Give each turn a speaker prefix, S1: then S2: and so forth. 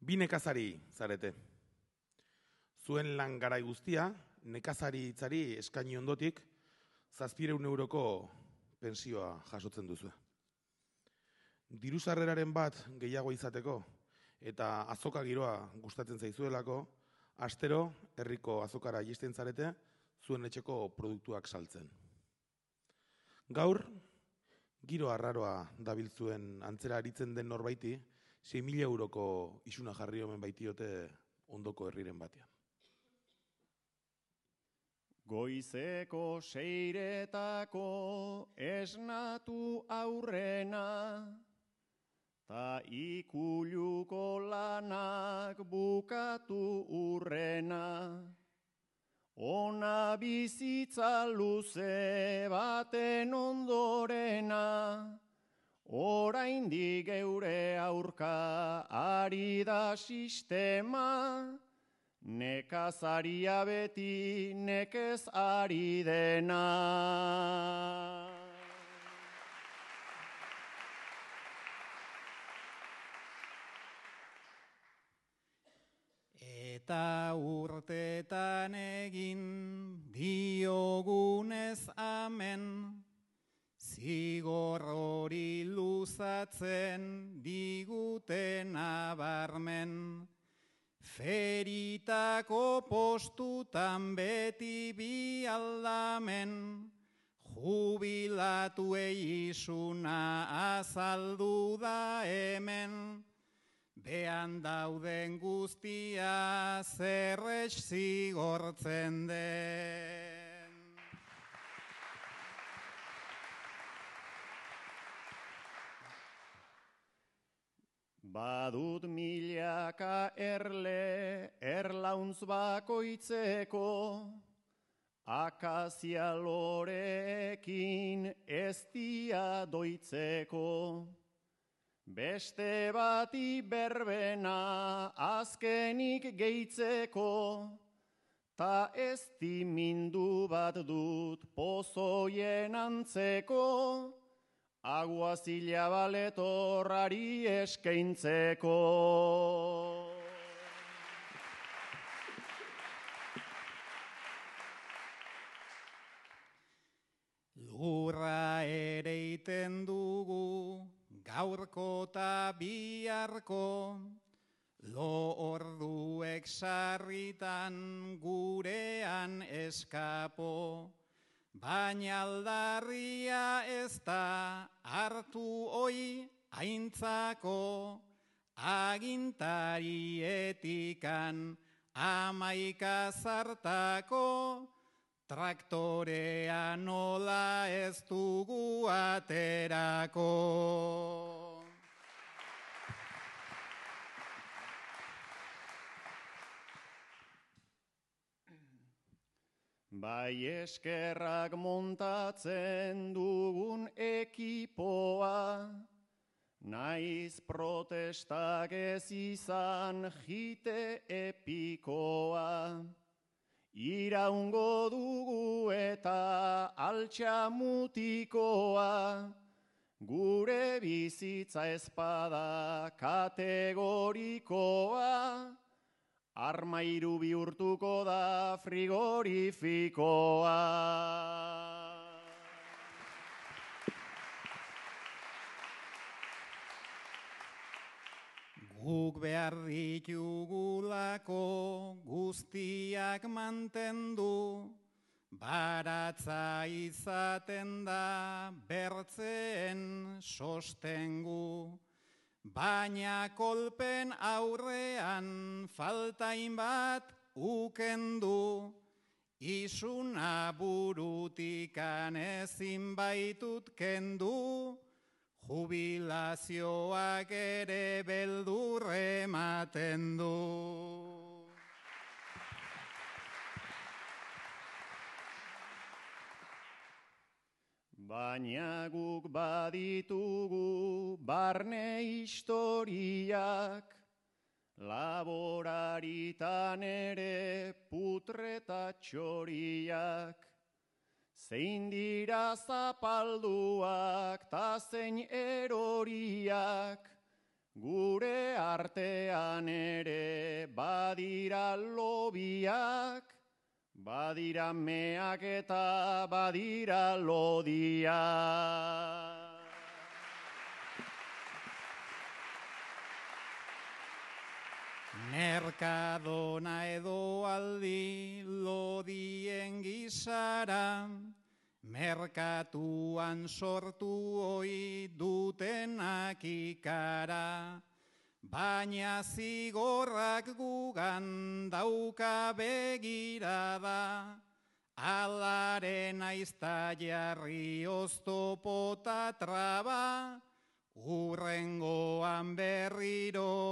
S1: Bi nekazari zarete. Zuen lan garai guztia, nekazari hitzari eskaini ondotik, 700 euroko pensioa jasotzen duzu. Diru sarreraren bat gehiago izateko eta azoka giroa gustatzen zaizuelako, astero herriko azokara iristen zarete zuen etxeko produktuak saltzen. Gaur, giro arraroa dabiltzuen antzera aritzen den norbaiti, 6.000 euroko isuna jarri omen baitiote ondoko herriren batean.
S2: Goizeko seiretako esnatu aurrena, ta ikuluko lanak bukatu urrena, ona bizitza luze baten ondorena, oraindik geure aurka ari da sistema, nekazaria beti nekez ari dena.
S3: Eta urtetan egin diogunez amen, zigor hori luzatzen diguten abarmen. Feritako postutan beti bi aldamen, jubilatuei isuna azaldu da hemen, behan dauden guztia zerrex zigortzen den.
S2: Badut milaka erle erlauntz bakoitzeko, akazia loreekin ez dia doitzeko. Beste bati berbena azkenik gehitzeko, ta ez dimindu bat dut pozoien antzeko, aguazila baletorrari eskaintzeko.
S3: Lurra ereiten dugu, gaurko ta biharko, lo orduek sarritan gurean eskapo. Baina aldarria ez da hartu oi aintzako, agintarieetikan 11 zartako, traktorea nola ez dugu aterako.
S2: Bai eskerrak montatzen dugun ekipoa, naiz protestak ez izan jite epikoa. Iraungo dugu eta altxa mutikoa, gure bizitza ezpada kategorikoa, armairu bihurtuko da frigorifikoa.
S3: Guk behar ditugulako guztiak mantendu, baratza izaten da bertzeen sostengu. Baina kolpen aurrean faltain bat ukendu, isuna burutikan ezin baitut kendu, jubilazioak ere beldur ematen du.
S2: Baina guk baditugu barne historiak, laboraritan ere putreta txoriak. Zein dira zapalduak ta zein eroriak, Gure artean ere badira lobiak, badira meak eta badira lodiak.
S3: Merkadona edo aldi lodien gisara, merkatuan sortu ohi dutenak ikara, baina zigorrak gugan dauka begirada, alaren aizta jarri oztopota traba, urrengoan berriro